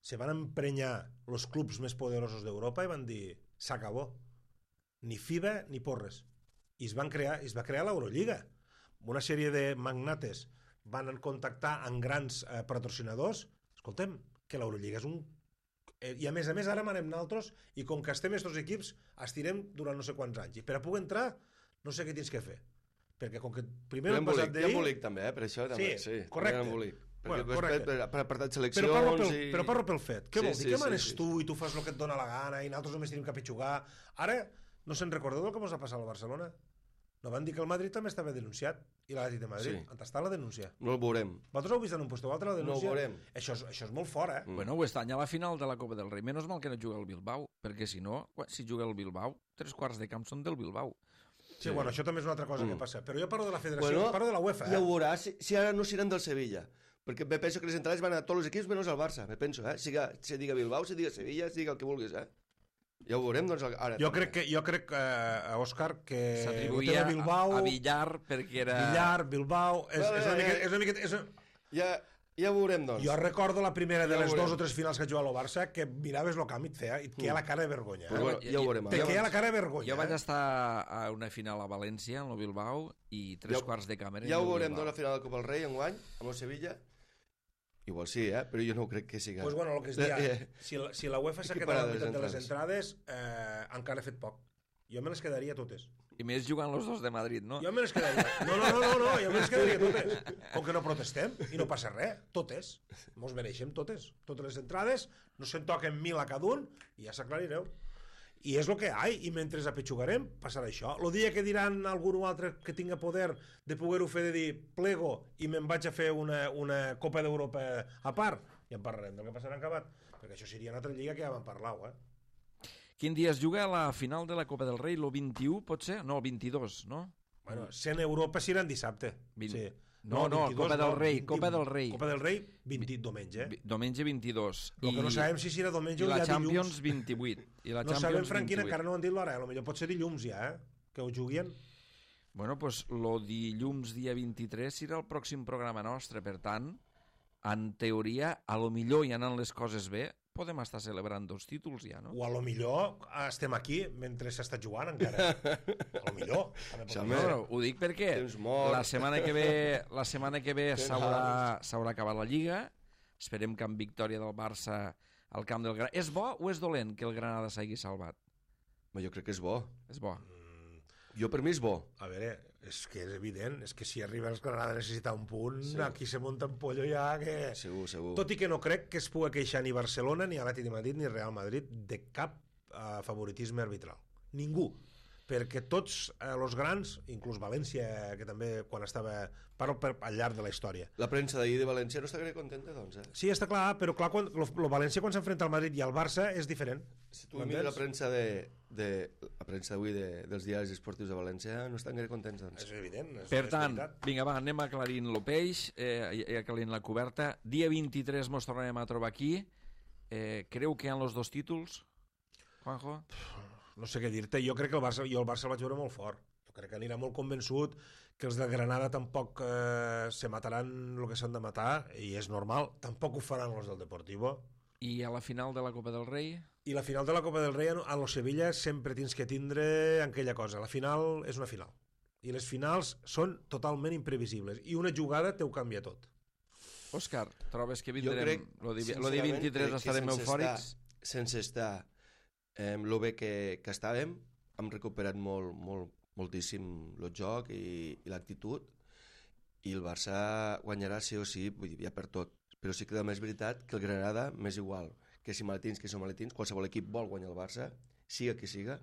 se van emprenyar els clubs més poderosos d'Europa i van dir, s'acabó. Ni FIBA ni porres. I es va crear l'Eurolliga. Una sèrie de magnates van contactar amb grans patrocinadors. Escoltem, que l'Eurolliga és un... I a més ara manem naltros i com que estem estos equips estirem durant no sé quants anys. I per a poder entrar no sé què tens que fer. Perquè com que primer hem passat d'ahir... Hi ha embolic també, per això també. Sí, correcte. Correcte. Per apartat seleccions... Però parlo pel fet. Què vol dir? Què manes tu i tu fas el que et dona la gana i nosaltres només tenim que pitjugar? Ara, no se'n recordeu del que ens ha passat al Barcelona? No van dir que el Madrid també estava denunciat i l'Atlètic de Madrid. Sí. On està la denúncia? No el veurem. Vosaltres heu vist en un puesto o altre la denúncia? No ho veurem. Això és molt fort, eh? Bueno, ho està a la final de la Copa del Rei. Menys mal que no juga el Bilbao, perquè si no, si juga el Bilbao, 3/4 de camp són del Bilbao. Sí, bueno, això també és una altra cosa que passa. Però jo parlo de la federació, parlo de la UEFA. Ja ho veuràs, si ara no seran del Sevilla. Perquè me penso que les entrades van a tots els equips menys al Barça, me penso, si diga Bilbao, si diga Sevilla, si diga el que vulguis, Ja ho veurem, doncs, ara. Jo crec, Òscar, que s'atribuïa a Villar perquè era... Villar, Bilbao... És una miqueta... Ja ho veurem, doncs. Jo recordo la primera de les 2 o 3 finals que jugava el Barça que miraves el camp i et queia la cara de vergonya. Ja ho veurem. Te queia la cara de vergonya. Jo vaig estar a una final a València, en el Bilbao, i 3/4 de càmera. Ja ho veurem, doncs, la final del Copa del Rei, enguany, amb el Sevilla. Igual sí, però jo no crec que siga... Pues bueno, el que es dia, si la UEFA s'ha quedat a la meitat de les entrades, encara ha fet poc. Jo me les quedaria totes. I més jugant els dos de Madrid, no? Jo me les quedaria. No, jo me les quedaria totes. Com que no protestem i no passa res, totes. Mos mereixem totes. Totes les entrades, no se'n toquen 1.000 a cada un i ja s'aclarireu. I és el que hi ha, i mentre apitxugarem passarà això. El dia que diran algú o altre que tinga poder de poder-ho fer, de dir plego i me'n vaig a fer una Copa d'Europa a part, ja en parlarem del que passarà en acabat, perquè això seria una altra lliga que ja vam parlar, Quin dia es juga a la final de la Copa del Rei? Lo 21, pot ser? No, el 22, no? Bueno, sent Europa si eren dissabte. Sí. No, 22, Copa del Rei, 20, Copa del Rei. Copa del Rei, 20, diumenge. Diumenge 22. El que no sabem si serà diumenge o ja dilluns. I la Champions 28. I la no Champions sabem, Franquina, 28. encara no han dit l'hora. Potser pot ser dilluns ja, que ho juguin. Bueno, doncs lo dilluns dia 23 serà el pròxim programa nostre. Per tant, en teoria, a lo millor i anant les coses bé, podem estar celebrant 2 títols ja, no? O a lo millor estem aquí mentre s'està jugant encara. A lo millor. No, ho dic perquè la setmana que ve s'haurà acabat la Lliga. Esperem que amb victòria del Barça al camp del Granada. És bo o és dolent que el Granada s'hagi salvat? Jo crec que és bo. És bo. Jo per mi és bo. A veure, és que és evident, és que si arriba els Granada a necessitar un punt, aquí se munta un pollo ja que... Segur. Tot i que no crec que es pugui queixar ni Barcelona, ni Atlètic de Madrid, ni Real Madrid de cap favoritisme arbitral. Ningú. Perquè tots els grans, inclús València, que també quan estava al llarg de la història. La premsa d'ahir de València no està gaire contenta, doncs, Sí, està clar, però clar, el València quan s'enfrenta al Madrid i al Barça és diferent. Si tu mires la premsa d'avui dels diaris esportius de València, no estan gaire contents, doncs. És evident. Per tant, vinga, va, anem aclarint el peix, aclarint la coberta. Dia 23 mos tornarem a trobar aquí. Creu que hi ha els 2 títols, Juanjo? No sé què dir-te, jo crec que el Barça el vaig veure molt fort. Jo crec que anirà molt convençut que els de Granada tampoc se mataran el que s'han de matar, i és normal, tampoc ho faran els del Deportivo. I a la final de la Copa del Rei? I la final de la Copa del Rei a los Sevilla sempre tens que tindre aquella cosa, la final és una final. I les finals són totalment imprevisibles, i una jugada te ho canvia tot. Òscar, trobes que vindrem lo dia 23 estarem eufòrics? Sense estar lo bé que estàvem, hem recuperat moltíssim el joc i l'actitud, i el Barça guanyarà sí o sí, vull dir, ja per tot, però sí que també és veritat que el Granada m'és igual, que si maletins, que som maletins, qualsevol equip vol guanyar el Barça, siga qui siga,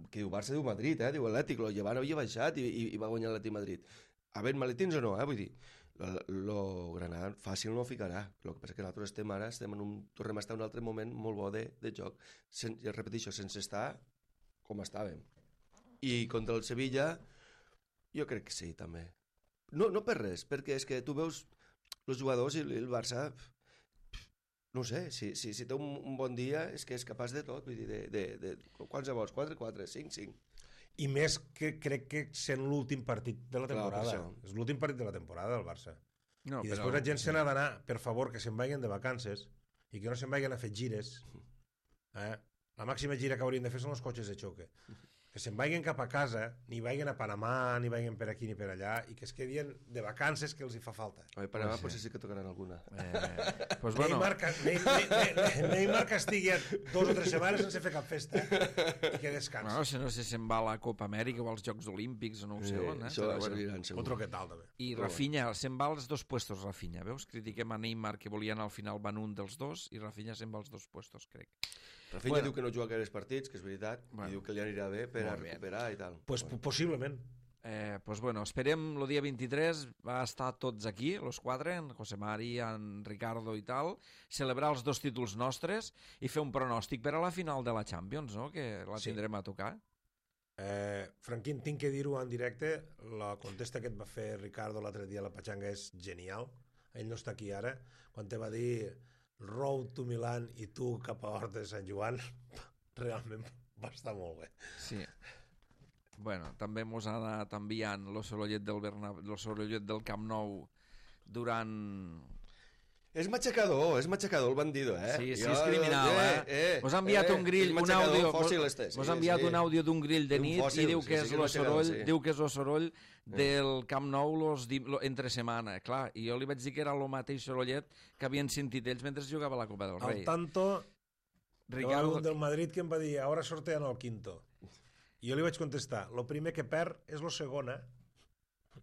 que diu Barça, diu Madrid, diu Atlètic, el Llevant havia baixat i va guanyar l'Atlètic Madrid. Havent maletins o no, vull dir, el Granada fàcil no ficarà. El que passa que nosaltres tornem a estar en un altre moment molt bo de joc. Ja repeteixo, sense estar com estàvem. I contra el Sevilla, jo crec que sí, també. No per res, perquè és que tu veus els jugadors i el Barça, no sé, si té un bon dia és que és capaç de tot, vull dir, de quants vols? 4-4, 5-5. I més que crec que sent l'últim partit de la temporada. És l'últim partit de la temporada del Barça. No, i després la gent se n'ha d'anar, per favor, que se'n vagin de vacances i que no se'n vagin a fer gires. La màxima gira que haurien de fer són els cotxes de xoque. Que se'n vagin cap a casa, ni vagin a Panamà, ni vagin per aquí ni per allà, i que es quedin de vacances que els hi fa falta. A Panamà potser sí que tocaran alguna. Pues bueno. Neymar que estigui 2 o 3 setmanes sense fer cap festa i que descansi. Bueno, si no sé si se'n va a la Copa Amèrica o als Jocs Olímpics o no ho sé on. Això serviran segur. Otro que tal, també. I Rafinha, se'n va als 2 puestos, Rafinha. Veus? Critiquem a Neymar que volien al final van un dels 2 i Rafinha se'n va als 2 puestos, crec. Rafinha diu que no juga gaires partits, que és veritat, i diu que li anirà bé per a recuperar i tal. Pues possiblement. Pues bueno, esperem el dia 23 va estar tots aquí, los 4, en José Mari, en Ricardo i tal, celebrar els 2 títols nostres i fer un pronòstic per a la final de la Champions, no? Que la tindrem a tocar. Franquín, tinc que dir-ho en directe, la contesta que et va fer Ricardo l'altre dia a la Pachanga és genial. Ell no està aquí ara. Quan te va dir Road to Milan i tu cap a Horta de Sant Joan, realment va estar molt bé. Sí. Bueno, també mos ha anat enviant lo sorollet del Camp Nou durant... És matxacador el bandido, Sí, és criminal, Mos ha enviat un grill, un àudio, mos ha enviat un àudio d'un grill de nit i diu que és el soroll del Camp Nou entre setmana, clar, i jo li vaig dir que era el mateix sorollet que havien sentit ells mentre jugava la Copa del Rei. Al tanto, Ricardo del Madrid que em va dir, ara sortean el quinto. I jo li vaig contestar, lo primer que perd és lo segon,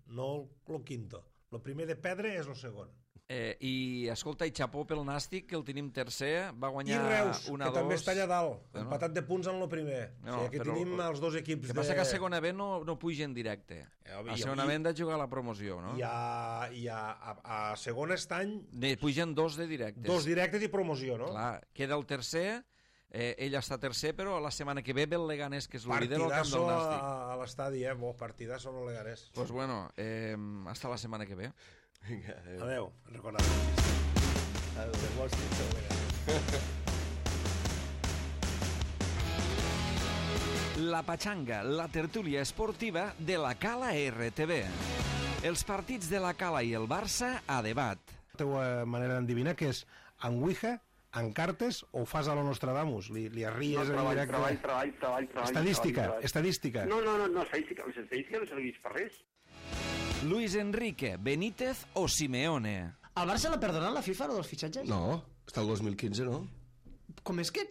no lo quinto. Lo primer de perdre és lo segon. I escolta, i xapó pel Nàstic, que el tenim tercer, va guanyar 1-2. I Reus, que també està allà dalt, empatat de punts en el primer. O sigui que tenim els 2 equips de... El que passa que a segona B no puja en directe. A segona B hem de jugar a la promoció, no? I a segona estany... Pugen 2 de directes. 2 directes i promoció, no? Clar, queda el tercer, ell està tercer, però la setmana que ve ve el Leganés, que és el líder al camp del Nàstic. Partidazo a l'estadi, partidazo en el Leganés. Pues bueno, hasta la setmana que ve. Vinga, adeu. Recordeu. La Pachanga, la tertúlia esportiva de la Cala RTV. Els partits de la Cala i el Barça a debat. La teva manera d'endevinar que és en Ouija, en cartes o fas a lo Nostradamus? Li arries en directe? Treball. Estadística. No, estadística. Les estadístiques no serveix per res. Luis Enrique, Benítez o Simeone? Al Barça l'ha perdonat la FIFA, dels fitxatges? No, està el 2015, no? Com és que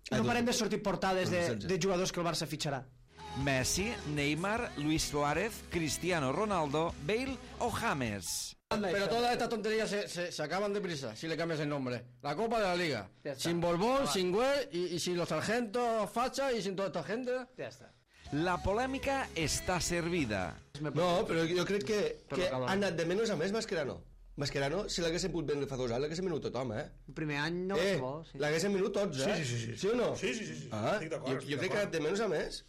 no parem de sortir portades de jugadors que el Barça fitxarà? Messi, Neymar, Luis Suárez, Cristiano Ronaldo, Bale o James? Pero todas estas tonterías se acaban deprisa si le cambias el nombre. La Copa de la Liga. Sin Borbón, sin Güell y sin los sargentos Facha y sin toda esta gente. Ja està. La polèmica està servida. No, però jo crec que ha anat de menys a més Mascherano. Mascherano, si l'haguessin pogut vendre fa 2 anys, l'haguessin venut tothom, El primer any no va ser bo. L'haguessin venut tots, Sí. Sí o no? Sí. Estic d'acord. Jo crec que ha anat de menys a més.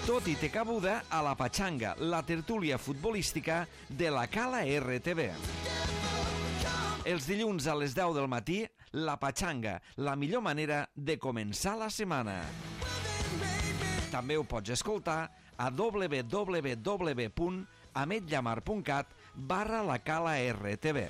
Tot i té cabuda a la Pachanga, la tertúlia futbolística de la Cala RTV. Els dilluns a les 10 del matí, la Pachanga, la millor manera de començar la setmana. També ho pots escoltar a www.ametllamar.cat/la Cala RTV.